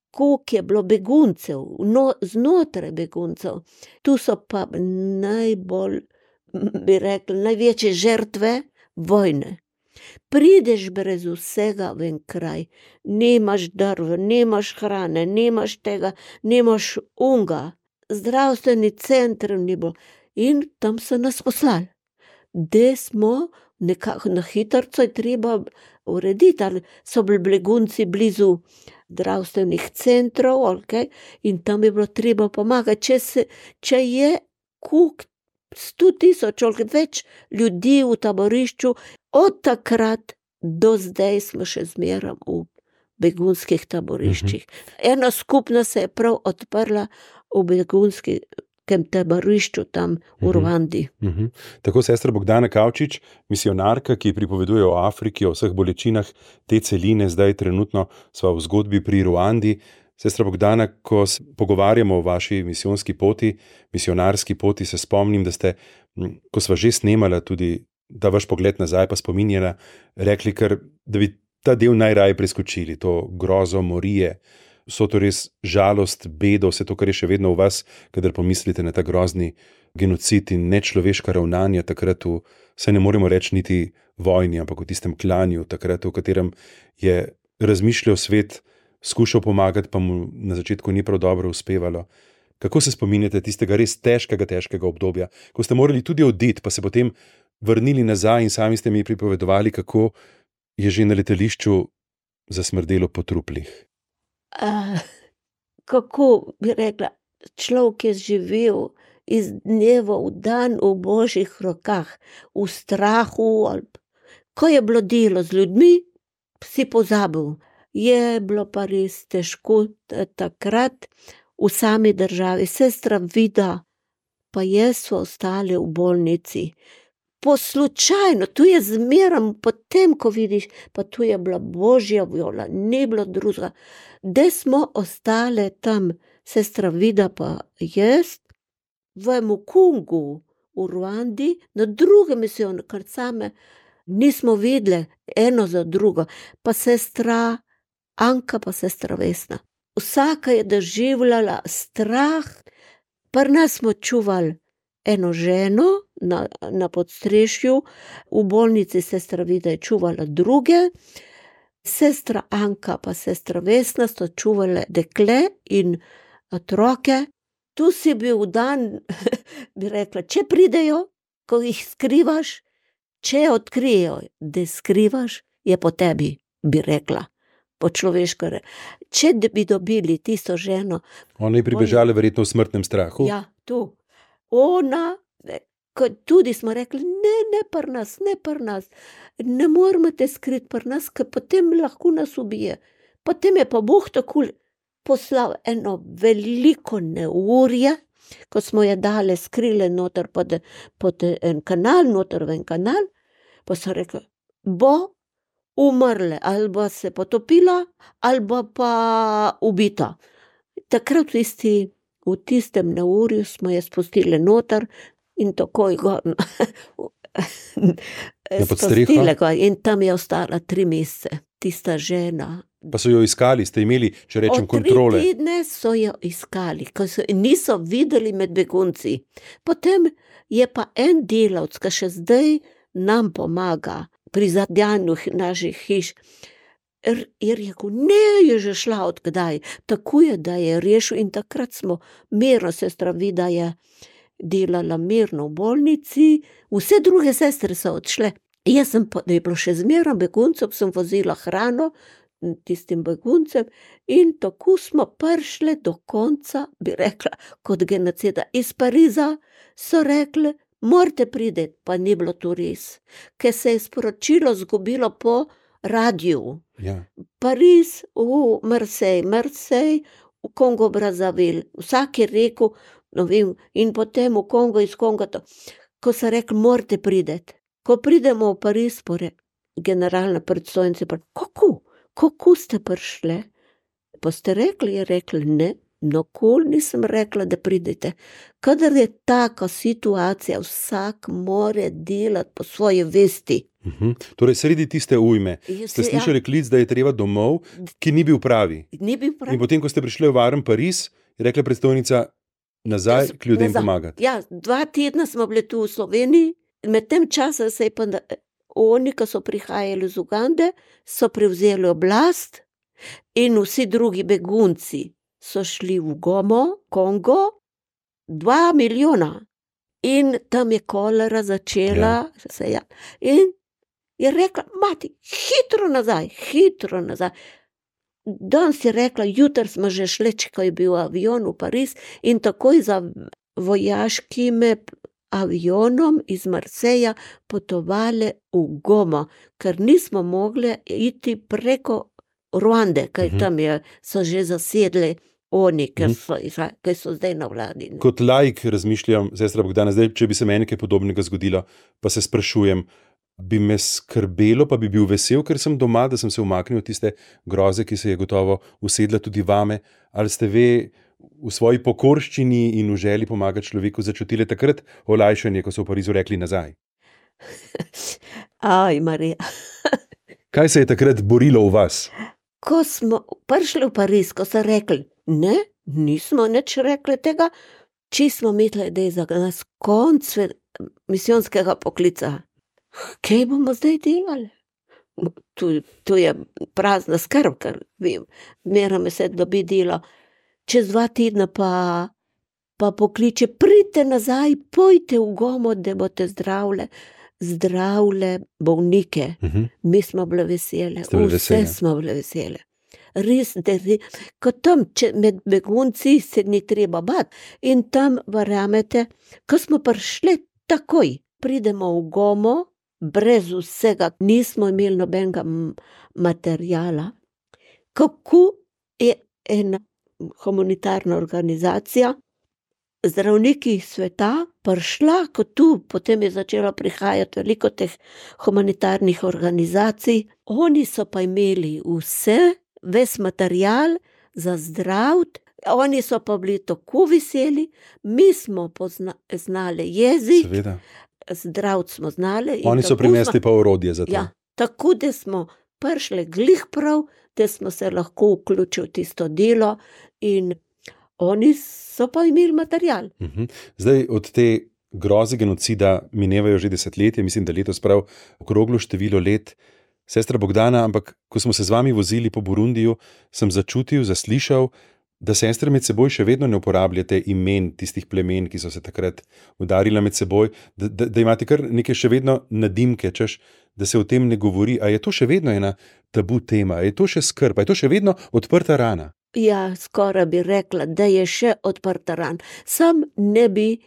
koliko je bilo beguncev, znotraj beguncev. Tu so pa najbolj, bi rekli, največje žrtve vojne. Prideš brez vsega v en kraj, nimaš drv, nimaš hrane, nimaš tega, nimaš unga, zdravstveni center ni bilo. In tam so nas poslali. Da smo nekako na hitrco je treba urediti, ali so bili begunci blizu zdravstvenih centrov, okay? In tam je bilo treba pomagati. Če je 100,000 več ljudi v taborišču, od takrat do zdaj smo še zmeraj v begunskih taboriščih. Ena skupnost se je prav odprla v begunskem taborišču tam v Ruandi. Tako sestra Bogdana Kavčič, misionarka, ki pripoveduje o Afriki, o vseh bolečinah te celine, zdaj trenutno sva v zgodbi pri Ruandi. Sestra Bogdana, ko se pogovarjamo o vaši misijonski poti, misionarski poti, se spomnim, da ste, ko sva že snemala tudi ta vaš pogled nazaj, pa spominjala, rekli kar, da bi ta del najraje preskočili, to grozo, morije, so to res žalost, bedo, vse to, kar je še vedno v vas, kadar pomislite na ta grozni genocid in nečloveška ravnanja takrat saj ne moremo reči niti vojni, ampak v tistem klanju takrat, v katerem je razmišljal svet, skušal pomagati, pa mu na začetku ni prav dobro uspevalo. Kako se spominjate tistega res težkega obdobja, ko ste morali tudi oditi, pa se potem vrnili nazaj in sami ste mi pripovedovali, kako je že na letališču zasmrdelo po truplih? Kako bi rekla, človek je živel iz dneva v dan v božjih rokah, v strahu, ko je bilo delo z ljudmi, si pozabil. Je bilo pa res težko takrat v sami državi. Sestra Vida pa jaz so ostali v bolnici. Slučajno, tu je zmeram, potem ko vidiš, pa tu je bila božja volja, ni bilo drugega. Da smo ostale tam, sestra Vida pa jaz, v Mukungu, v Ruandi, na druge misijone, kar same nismo videli eno za drugo, pa sestra Anka, pa sestra Vesna. Vsaka je doživljala strah, pri nas smo čuvali eno ženo na podstrešju, v bolnici sestra Vida je čuvala druge, sestra Anka pa sestra Vesna so čuvale dekle in otroke. Tu si bil dan, bi rekla, če pridejo, ko jih skrivaš, če odkrijejo, da skrivaš, je po tebi, bi rekla. Po človeško če bi dobili tisto ženo. Ona je pribežala verjetno v smrtnem strahu. Ja, tu. Ona, tudi smo rekli, ne pri nas, ne moramo te skriti pri nas, ker potem lahko nas ubije. Potem je pa Bog tako poslal eno veliko neurje, ko smo je dale skrile noter pod en kanal, noter v en kanal, pa so rekli, bo umrle, ali bo se potopila, ali bo pa ubita. Takrat v tistem neurju smo je spustili noter in takoj ga spustili ga in tam je ostala 3 mesece, tista žena. Pa so jo iskali, ste imeli, če rečem, kontrole? 3 tedne so jo iskali, niso videli med begunci. Potem je pa en delavec, ki še zdaj nam pomaga pri zadjanju naših hiš, je rekel, ne, je že šla odkdaj, tako je, da je rešil in takrat smo mirno, sestra Vida je delala mirno v bolnici, vse druge sestre so odšle. Jaz sem pa, da je bilo še zmeraj beguncov, sem vozila hrano, tistim beguncem in tako smo prišli do konca, bi rekla, kot genocida. Iz Pariza so rekli, morate priti, pa ni bilo to res, ker se je sporočilo zgubilo po radiju. Ja. Pariz, v Marseille, v Kongo Brazzaville. Vsak je rekel, no vem, in potem v Kongo, iz Konga to. Ko so rekli, morate priti. Ko pridemo v Pariz, generalna predstojnica, kako ste prišli? Pa ste rekli, je rekli, ne, nikoli nisem rekla, da pridete. Kadar je taka situacija, vsak more delati po svoji vesti. Torej, sredi tiste ujme ste slišali klic, da je treba domov, ki ni bil pravi. Ni bil pravi. In potem, ko ste prišli v varen Pariz, je rekla predstojnica, nazaj k ljudem pomagati. Ja, 2 tedna smo bili tu v Sloveniji, med tem časa se je pa oni, ki so prihajali iz Ugande, so prevzeli oblast in vsi drugi begunci so šli v Kongo, 2 milijona. In tam je kolera začela in je rekla, mati, hitro nazaj. Danes je rekla, jutri smo že šli, ko je bil avion v Pariz in takoj za vojaškim avionom iz Marseja potovali v Goma, ker nismo mogli iti preko Ruande, kaj tam so že zasedli oni, ker so zdaj na vladi. Kot laik razmišljam, sestra Bogdana, zdaj, če bi se meni kaj podobnega zgodilo, pa se sprašujem, bi me skrbelo, pa bi bil vesel, ker sem doma, da sem se umaknil tiste groze, ki se je gotovo usedla tudi vame, ali ste ve v svoji pokorščini in v želji pomagati človeku začutili takrat olajšanje, ko so v Parizu rekli nazaj? Aj, Marija. Kaj se je takrat borilo v vas? Ko smo prišli v Pariz, ko so rekli, ne, nismo nič rekli tega, či smo mislili, da je za nas konc misijonskega poklica. Kaj bomo zdaj delali? Tu je prazna skrb, ker vem, merame se dobi delo. Čez 2 tedna pa pokliče, pridite nazaj, pojte v Gomo, da boste zdravile bolnike. Mi smo bile vesele, vse smo bile vesele. Res, ko tam med begunci se ni treba bati. In tam, verjamete, ko smo prišli takoj, pridemo v Gomo, brez vsega, nismo imeli nobenega materiala. Kako je ena humanitarna organizacija, zdravniki sveta, prišla, kot tu, potem je začelo prihajati veliko teh humanitarnih organizacij, oni so pa imeli ves material za zdraviti, oni so pa bili tako veseli, mi smo znali jezik, seveda. Zdraviti smo znali. Oni so prinesli pa orodje za to. Ja, tako da smo prišli glih prav, da smo se lahko vključili v tisto delo in oni so pa imeli material. Zdaj od te groze genocida minevajo že desetletje, mislim, da letos prav okroglo število let. Sestra Bogdana, ampak ko smo se z vami vozili po Burundiju, sem začutil, zaslišal, da sestre med seboj še vedno ne uporabljate imen tistih plemen, ki so se takrat udarila med seboj, da imate kar neke še vedno nadimke, češ, da se o tem ne govori. A je to še vedno ena tabu tema? A je to še skrb? A je to še vedno odprta rana? Ja, skoraj bi rekla, da je še odprta rana. Sam ne bi,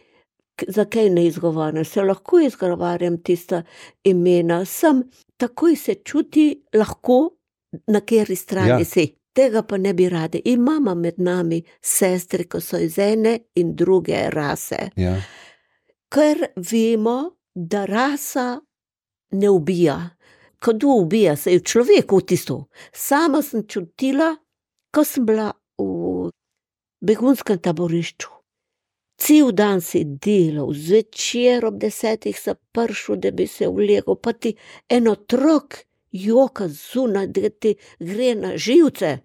zakaj ne izgovarjam, se lahko izgovarjam tista imena, sam takoj se čuti lahko, na kateri strani si. Tega pa ne bi radi. Imamo med nami sestre, ko so iz ene in druge rase. Ja. Ker vemo, da rasa ne ubija. Kdo ubija, se je v človeku tisto. Sama sem čutila, ko sem bila v begunskem taborišču. Cel dan si delal, zvečer ob 10 se prišel, da bi se vlegel, pa ti en otrok joka zunaj, da ti gre na živce,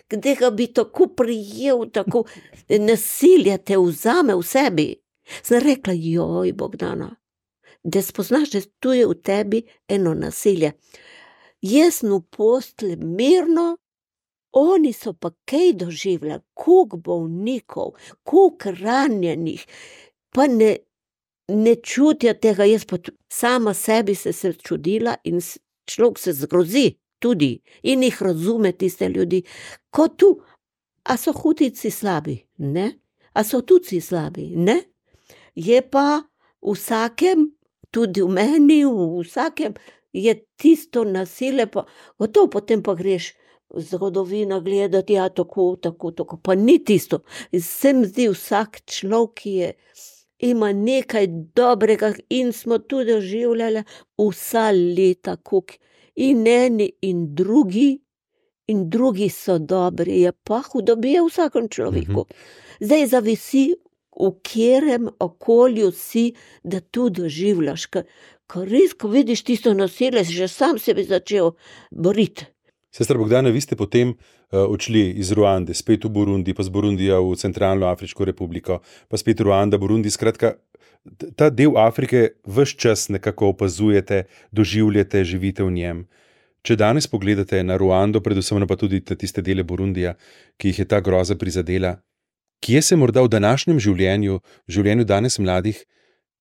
kde ga bi tako prijel, tako nasilje te vzame v sebi. Sem rekla, joj, Bogdana, da spoznaš, da tu je v tebi eno nasilje. Jaz sem v postelji mirno, oni so pa kaj doživljali, koliko bolnikov, koliko ranjenih, pa ne čutijo tega, jaz pa sama sebi se čudila in človek se zgrozi. tudi in jih razume tiste ljudi. Ko tu, a so hutici slabi? Ne. A so tuci slabi? Ne. Je pa v vsakem, tudi v meni, v vsakem je tisto nasilje, pa gotovo potem pa greš zgodovino gledati, ja, tako, pa ni tisto. Se mi zdi, vsak človek, ki ima nekaj dobrega in smo tudi doživljali vsa leta, koliko in eni in drugi so dobri, je pa hudobija v vsakem človeku. Zdaj zavisi, v katerem okolju si, da tu doživljaš, ko res, ko vidiš tisto nasilje, že sam se bi začel boriti. Sestra Bogdana, vi ste potem odšli iz Ruande, spet v Burundi, pa z Burundija v Centralno Afriško republiko, pa spet Ruanda, Burundi, skratka, ta del Afrike ves čas nekako opazujete, doživljate, živite v njem. Če danes pogledate na Ruando, predvsem pa tudi tiste dele Burundija, ki jih je ta groza prizadela, kje se morda v današnjem življenju danes mladih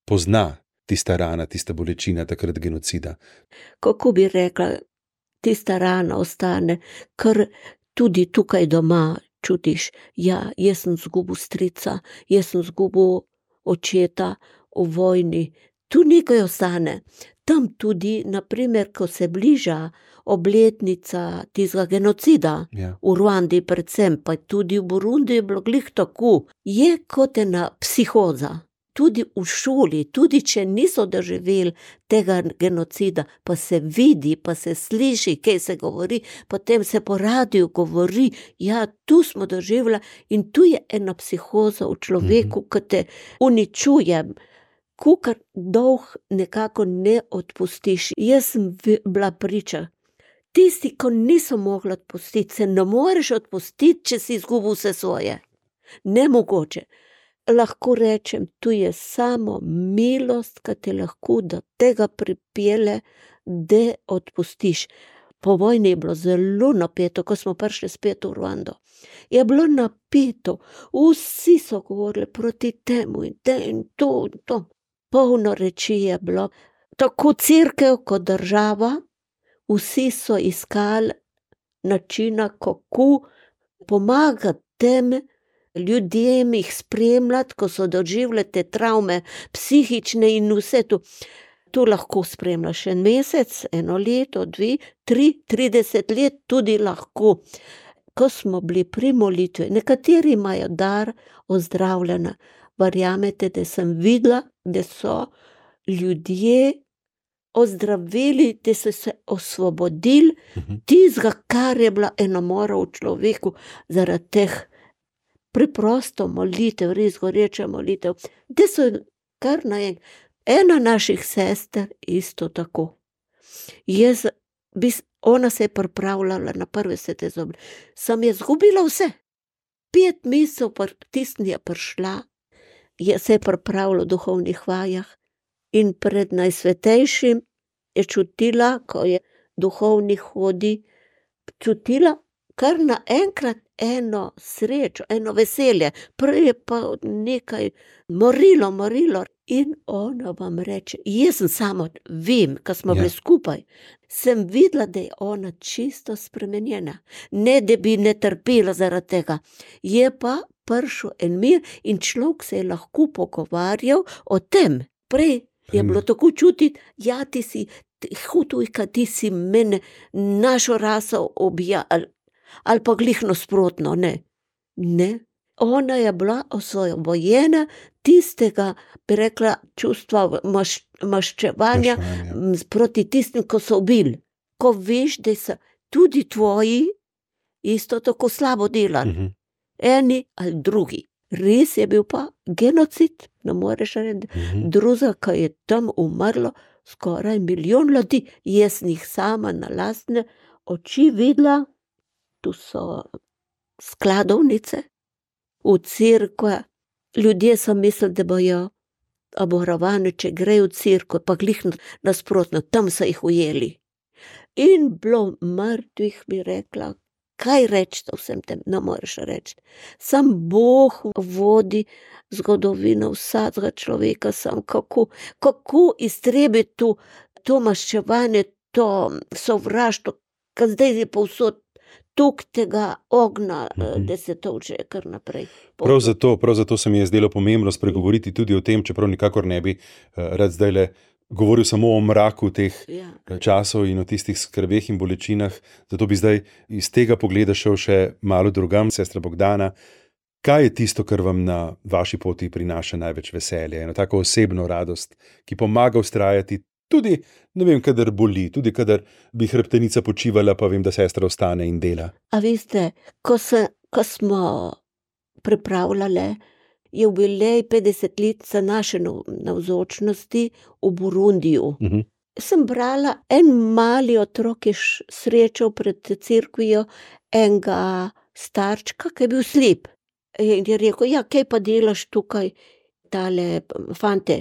pozna tista rana, tista bolečina takrat genocida? Kako bi rekla, tista rana ostane, ker tudi tukaj doma čutiš, ja, jaz sem zgubil strica, jaz sem zgubil očeta v vojni, tu nekaj ostane. Tam tudi, naprimer, ko se bliža obletnica tistega genocida, v Ruandi predvsem, pa tudi v Burundi je bilo glih tako, je kot ena psihoza. Tudi v šoli, tudi če niso doživeli tega genocida, pa se vidi, pa se sliši, kaj se govori, potem se po radiju govori, ja, tu smo doživeli in tu je ena psihoza v človeku, ki te uničuje, kakor dolg nekako ne odpustiš. Jaz sem bila priča. Tisti, ko niso mogli odpustiti, se ne moreš odpustiti, če si izgubil vse svoje. Nemogoče. Lahko rečem, tu je samo milost, ki te lahko do tega pripelje, da odpustiš. Po vojni je bilo zelo napeto, ko smo prišli spet v Ruando. Je bilo napeto, vsi so govorili proti temu in to. Polno reči je bilo, tako cerkev kot država, vsi so iskali načina, kako pomagati tem ljudem, jih spremljati, ko so doživljali te travme, psihične in vse to. Tu lahko spremljaš en mesec, 1 leto, 2, 3, 30 let, tudi lahko. Ko smo bili pri molitvi, nekateri imajo dar ozdravljena. Verjamete, da sem videla, da so ljudje ozdravili, da so se osvobodili tistega, kar je bila ena mora v človeku zaradi teh preprosto molitev, res goreče molitev, da so kar naenkrat. Ena naših sester isto tako. Ona se je pripravljala na prve svete zobe. Sem je zgubila vse. 5 mesecev tisni je prišla, se je pripravila v duhovnih vajah in pred najsvetejšim je čutila, ko je duhovnih hodi, čutila kar naenkrat eno srečo, eno veselje. Prej je pa nekaj morilo. In ona vam reče, jaz sem samo, vem, ko smo bili skupaj, sem videla, da je ona čisto spremenjena. Ne, da bi ne trpela zaradi tega. Je pa prišel en mir in človek se je lahko pogovarjal o tem. Prej je bilo tako čutiti, ja, ti si hutujka, ti si mene, našo raso objal, ali pa glih nasprotno, ne. Ona je bila osvobojena tistega, bi rekla, čustva maščevanja proti tistim, ko so ubili. Ko veš, da so tudi tvoji isto tako slabo delali. Eni ali drugi. Res je bil pa genocid, ne moreš reči, druga, ko je tam umrlo skoraj 1 milijon ljudi. Jaz jih sama na lastne oči videla, tu so skladovnice, v cerkve, ljudje so mislili, da bojo obvarovani, če grejo v cerkev, pa glih nasprotno, tam so jih ujeli. In bilo mrtvih, bi rekla, kaj reči o vsem tem, ne moreš reči. Sam Bog vodi zgodovino vsakega človeka, sam kako iztrebiti to maščevanje, to sovraštvo, ker zdaj je povsod tok tega ognja, da se tolče kar naprej. Prav zato se mi je zdelo pomembno spregovoriti tudi o tem, čeprav nikakor ne bi rad zdajle govoril samo o mraku teh časov in o tistih skrbeh in bolečinah, zato bi zdaj iz tega pogleda šel še malo drugam. Sestra Bogdana, kaj je tisto, kar vam na vaši poti prinaša največ veselja, eno tako osebno radost, ki pomaga vztrajati tudi, ne vem, kadar boli, tudi kadar bi hrbtenica počivala, pa vem, da sestra ostane in dela. A veste, ko smo pripravljali jubilej 50-letnice naše navzočnosti v Burundiju, sem brala, en mali otrok je srečal pred cerkvijo enega starčka, ki je bil slep. In je rekel, ja, kaj pa delaš tukaj, tale fante,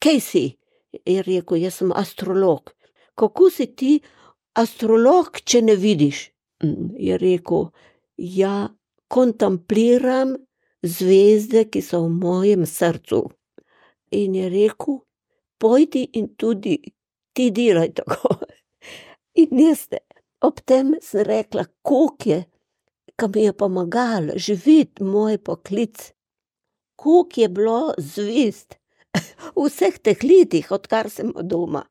kaj si? Je rekel, jaz sem astrolog. Kako si ti astrolog, če ne vidiš? Je rekel, ja, kontempliram zvezde, ki so v mojem srcu. In je rekel, pojdi in tudi ti delaj tako. In jaz ob tem sem rekla, koliko je, ko mi je pomagalo živeti moj poklic, koliko je bilo zvezd v vseh teh letih, odkar sem doma.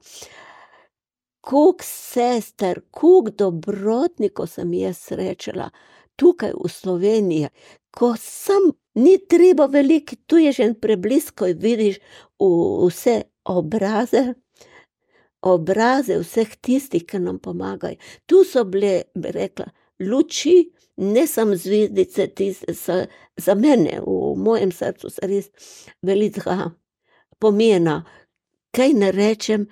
Koliko sester, koliko dobrotnikov sem jaz srečala tukaj v Sloveniji, ko sem, ni treba veliko, tu je že en preblisk, ko vidiš vse obraze vseh tistih, ki nam pomagajo. Tu so bile, bi rekla, luči, ne samo zvezdice, tiste so za mene, v mojem srcu so res velikega pomena. Kaj ne rečem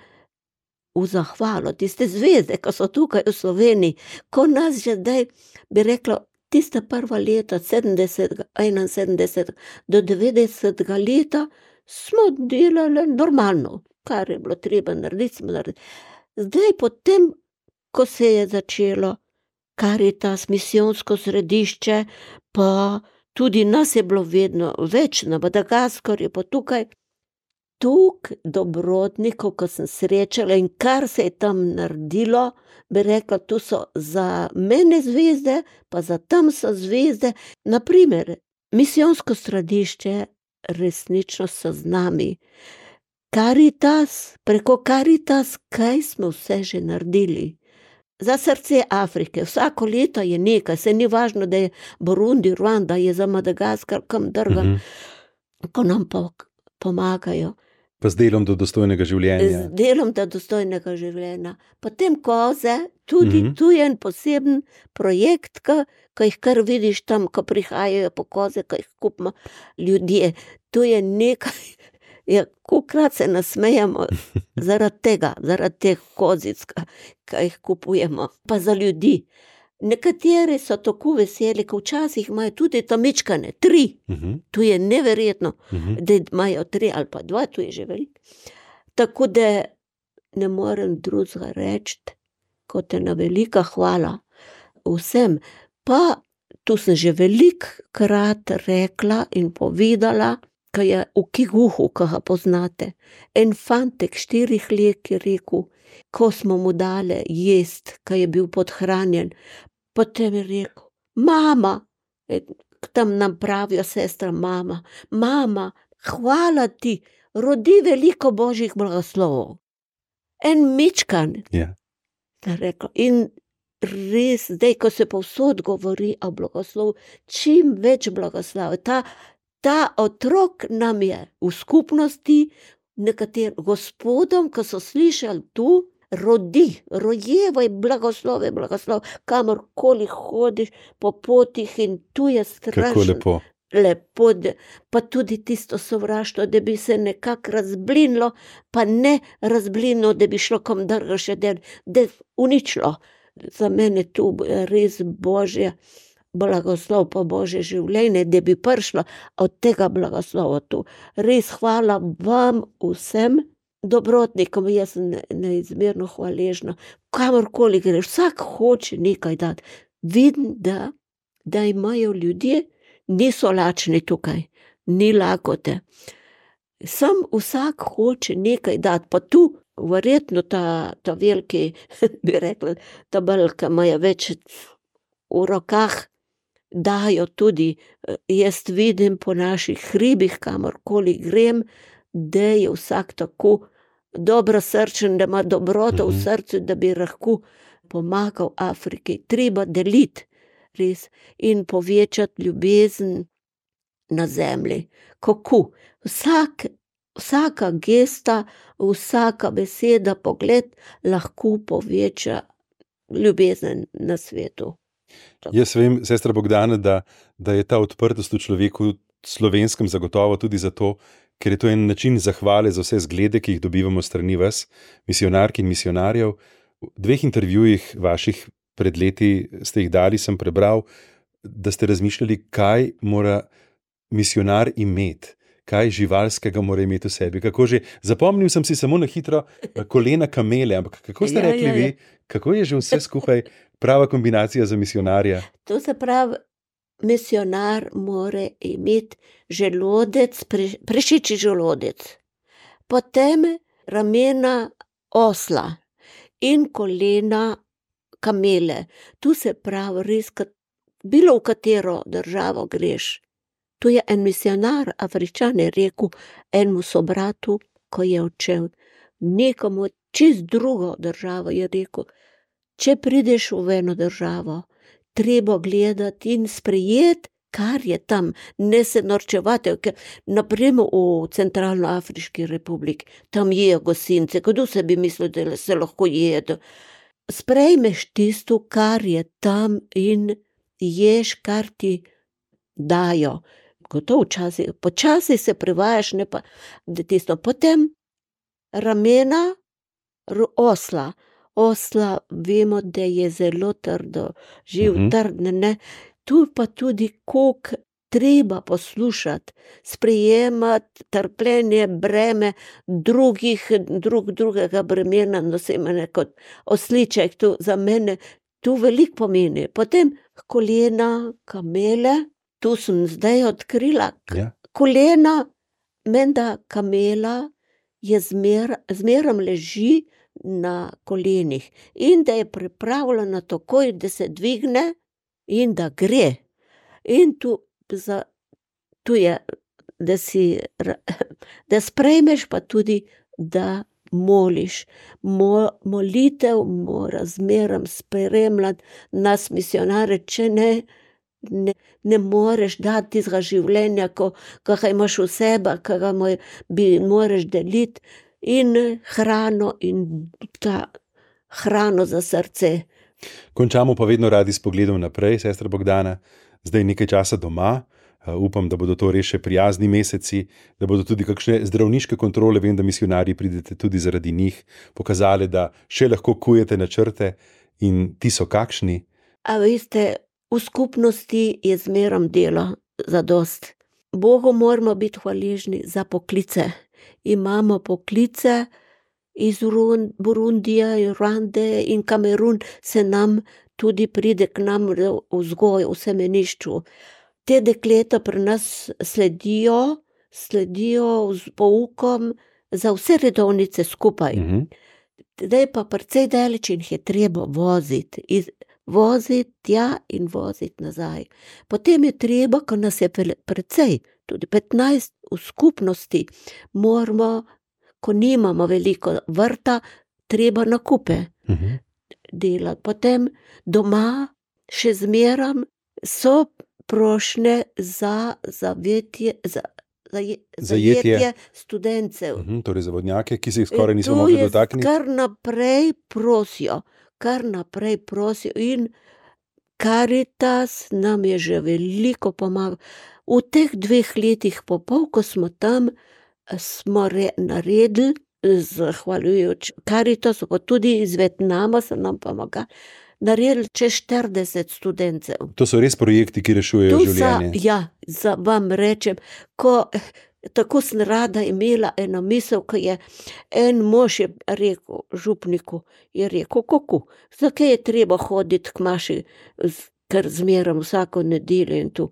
v zahvalo, tiste zvezde, ko so tukaj v Sloveniji, ko nas že zdaj, bi rekla, tiste prva leta, 70, 71 do 90 leta, smo delali normalno, kar je bilo treba narediti, smo naredili. Zdaj potem, ko se je začelo Karitas, misijonsko središče, pa tudi nas je bilo vedno več, na Madagaskarju, pa tukaj, toliko dobrotnikov, ko sem srečala in kar se je tam naredilo, bi rekla, tu so za mene zvezde, pa za tam so zvezde. Naprimer, misijonsko središče resnično so z nami. Karitas, preko Karitas, kaj smo vse že naredili. Za srce Afrike, vsako leto je nekaj, se ni važno, da je Burundi, Ruanda, je za Madagaskar, kam drgam, ko nam pomagajo. Pa z delom do dostojnega življenja. Z delom do dostojnega življenja. Potem koze, tudi tu je en poseben projekt, ko jih kar vidiš tam, ko prihajajo po koze, ko jih kupimo ljudje. Tu je nekaj, kolikrat se nasmejamo zaradi teh kozic, ki jih kupujemo, pa za ljudi. Nekateri so tako veseli, ko včasih imajo tudi tamičkane, 3. Tu je neverjetno, da imajo 3 ali pa 2, tu je že veliko. Tako da ne morem drugega reči, kot ena velika hvala vsem. Pa tu sem že velikokrat rekla in povedala, ko je v Kiguhu, ko ga poznate, en fantek 4 let je rekel, ko smo mu dali jest, ko je bil podhranjen, potem je rekel, mama, tam nam pravijo sestra, mama, hvala ti, rodi veliko božjih blagoslovov. En mičkan, rekel, in res, zdaj, ko se povsod govori o blagoslovu, čim več blagoslovi, ta otrok nam je v skupnosti, nekaterim gospodom, ko so slišali tu, rojevaj blagoslove, kamorkoli hodiš po potih in tu je strašno. Kako lepo, pa tudi tisto sovraštvo, da bi se nekako razblinilo, pa ne razblinilo, da bi šlo kom drgo še da uničilo. Za mene tu res božje blagoslov, pa božje življenje, da bi prišlo od tega blagoslova tu. Res hvala vam vsem dobrotnikom, jaz sem neizmerno hvaležna. Kamorkoli greš, vsak hoče nekaj dati. Vidim, da imajo ljudje, niso lačni tukaj, ni lakote. Sam vsak hoče nekaj dati, pa tu verjetno ta veliki, bi rekla, tabelj, ki imajo več v rokah, dajo tudi, jaz vidim po naših hribih, kamorkoli grem, da je vsak tako dobrosrčen, da ima dobroto v srcu, da bi lahko pomagal Afriki. Treba deliti, res, in povečati ljubezen na zemlji. Kako? Vsaka gesta, vsaka beseda, pogled lahko poveča ljubezen na svetu. Jaz vem, sestra Bogdana, da je ta odprtost v človeku slovenskem zagotovo tudi zato, ker je to en način zahvale za vse zglede, ki jih dobivamo strani vas, misionark in misionarjev. V 2 intervjujih vaših pred leti ste jih dali, sem prebral, da ste razmišljali, kaj mora misionar imeti, kaj živalskega mora imeti v sebi. Kako že, zapomnil sem si samo na hitro kolena kamele, ampak kako ste rekli vi, kako je že vse skupaj prava kombinacija za misionarja? To se pravi, misionar mora imeti želodec, prašičji želodec, potem ramena osla in kolena kamele. Tu se pravi res, bilo v katero državo greš. Tu je en misionar, Afričan, je rekel enemu sobratu, ko je odšel, nekomu čist drugo državo, je rekel, če prideš v eno državo, treba gledati in sprejeti, kar je tam, ne se norčevati, ker naprimer v Centralnoafriški republiki, tam jejo gosince, kdo se bi mislil, da se lahko jedo. Sprejmeš tisto, kar je tam in ješ, kar ti dajo. Gotovo počasi se privajaš, ne pa, da tisto. Potem ramena osla. Osla vemo, da je zelo trdo, trdne, ne. Tu pa tudi, koliko treba poslušati, sprejemati trpljenje, breme drugega bremena, nosim kot osliček, tu za mene, tu veliko pomeni. Potem kolena kamele, tu sem zdaj odkrila, kolena, menda kamela je zmerom leži na kolenih in da je pripravljena takoj, da se dvigne in da gre. In tu je, da sprejmeš, pa tudi, da moliš. Molitev mora zmerom spremljati nas misionare, če ne moreš dati tistega življenja, ko ga imaš v sebi, ki ga moraš deliti, in hrano, in ta hrano za srce. Končamo pa vedno radi s pogledom naprej, sestra Bogdana. Zdaj nekaj časa doma, upam, da bodo to res še prijazni meseci, da bodo tudi kakšne zdravniške kontrole, vem, da misionarji pridete tudi zaradi njih, pokazali, da še lahko kujete načrte in ti so kakšni. A veste, v skupnosti je zmerom delo zadost. Bogu moramo biti hvaležni za poklice. Imamo poklice iz Burundija, Ruande in Kamerun, se nam tudi pride k nam v vzgoj, v semenišču. Te dekleta pri nas sledijo z poukom za vse redovnice skupaj. Zdaj pa precej daleč in jih je treba voziti. Voziti tja in voziti nazaj. Potem je treba, ko nas je precej, tudi 15 v skupnosti, moramo, ko nimamo veliko vrta, treba nakupe delati. Potem doma še zmerom so prošnje za zajetje studencev. Torej za vodnjake, ki se jih skoraj nismo mogli dotakniti. Kar naprej prosijo in Karitas nam je že veliko pomagal. V teh 2 letih po pol, ko smo tam, smo naredili, zahvaljujoč Karitasu, pa tudi iz Vietnama so nam pomagali, naredili čez 40 studencev. To so res projekti, ki rešujejo življenje. Ja, vam rečem, tako sem rada imela eno misel, ko je en mož je rekel župniku, je rekel, kako, zakaj je treba hoditi k maši, ker zmerom vsako nedeljo in tu.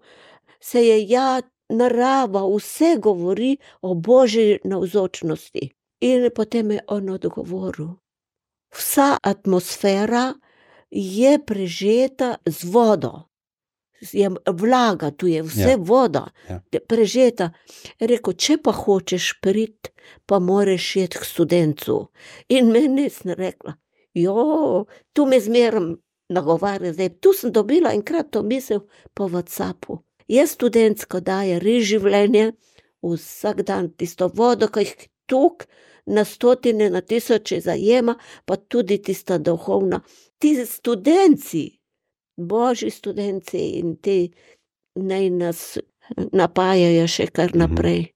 Narava vse govori o Božji navzočnosti. In potem je on odgovoril: vsa atmosfera je prežeta z vodo. Je vlaga, tu je vse voda, prežeta. Rekel, če pa hočeš priti, pa moraš iti k Studencu. In meni sem rekla, tu me zmeraj nagovarja, zdaj, tu sem dobila enkrat to misel po WhatsAppu. Je Student, ko daje res življenje, vsak dan tisto vodo, ki jih tok na stotine, na tisoče zajema, pa tudi tista duhovna. Ti Studenci, Božji Studenci in ti naj nas napajajo še kar naprej,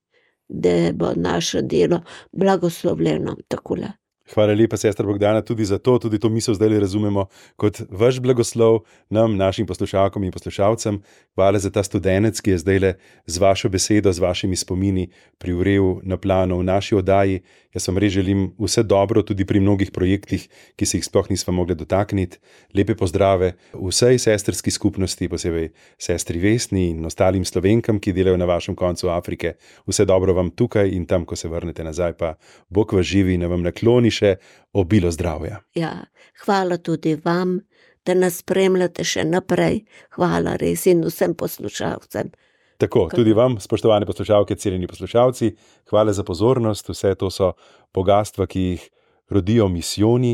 da bo naše delo blagoslovljeno takole. Hvala lepa, sestra Bogdana, tudi za to, tudi to misel zdaj razumemo kot vaš blagoslov nam, našim poslušalkom in poslušalcem. Hvala za ta Studenec, ki je zdaj z vašo besedo, z vašimi spomini privrel na plano v naši oddaji. Jaz vam res želim vse dobro tudi pri mnogih projektih, ki se jih sploh nismo mogli dotakniti. Lepe pozdrave vsej sestrski skupnosti, posebej sestri Vesni in ostalim Slovenkam, ki delajo na vašem koncu Afrike. Vse dobro vam tukaj in tam, ko se vrnete nazaj, pa Bog vas živi in vam nakloni še obilo zdravja. Ja, hvala tudi vam, da nas spremljate še naprej. Hvala res in vsem poslušalcem. Tako, tudi vam, spoštovane poslušalke, cenjeni poslušalci, hvala za pozornost. Vse to so bogastva, ki jih rodijo misijoni,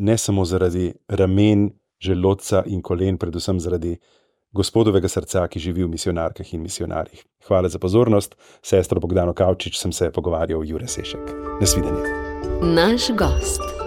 ne samo zaradi ramen, želodca in kolen, predvsem zaradi Gospodovega srca, ki živi v misionarkah in misionarjih. Hvala za pozornost. Sestro Bogdano Kavčič sem se pogovarjal Jure Sešek. Nasvidenje. Naš gost.